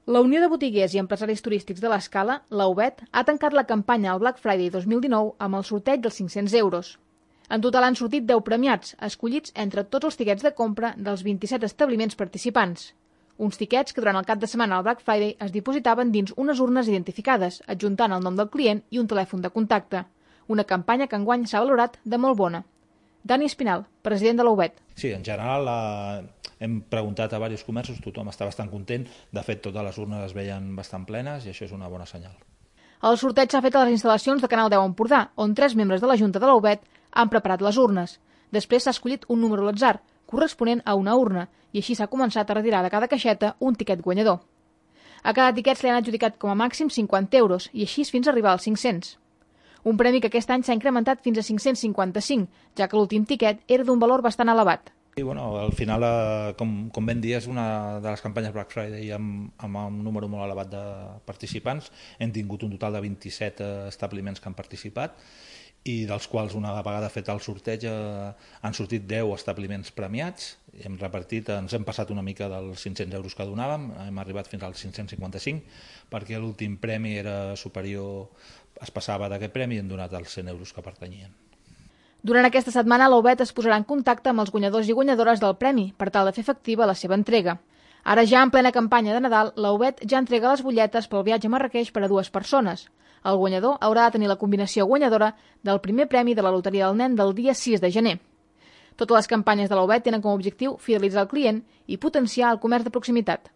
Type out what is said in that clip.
La Unió de Botiguers i Empresaris Turístics de l'Escala, la UBET, ha tancat la campanya al Black Friday 2019 amb el sorteig dels 500 euros. En total han sortit 10 premiats, escollits entre tots els tiquets de compra dels 27 establiments participants. Uns tiquets que durant el cap de setmana al Black Friday es dipositaven dins unes urnes identificades, adjuntant el nom del client i un telèfon de contacte. Una campanya que enguany s'ha valorat de molt bona. Dani Espinal, president de la UBET. Sí, en general hem preguntat a diversos comerços, tothom està bastant content. De fet, totes les urnes es veien bastant plenes i això és una bona senyal. El sorteig s'ha fet a les instal·lacions de Canal 10 Empordà, on 3 membres de la Junta de la UBET han preparat les urnes. Després s'ha escollit un número a l'atzar, corresponent a una urna, i així s'ha començat a retirar de cada caixeta un tiquet guanyador. A cada tiquet se li han adjudicat com a màxim 50 euros, i així fins a arribar als 500. Un premi que aquest any s'ha incrementat fins a 555, ja que l'últim tiquet era d'un valor bastant elevat. I al final, com vam dir, és una de les campanyes Black Friday amb un número molt elevat de participants. Hem tingut un total de 27 establiments que han participat i dels quals, una vegada fet el sorteig, han sortit 10 establiments premiats. Hem repartit, ens hem passat una mica dels 500 euros que donàvem, hem arribat fins als 555, perquè l'últim premi era superior, es passava d'aquest premi i hem donat els 100 euros que pertanyien. Durant aquesta setmana, la UBET es posarà en contacte amb els guanyadors i guanyadores del premi per tal de fer efectiva la seva entrega. Ara ja en plena campanya de Nadal, la UBET ja entrega les butlletes pel viatge a Marràqueix per a 2 persones. El guanyador haurà de tenir la combinació guanyadora del primer premi de la Loteria del Nen del dia 6 de gener. Totes les campanyes de la UBET tenen com a objectiu fidelitzar el client i potenciar el comerç de proximitat.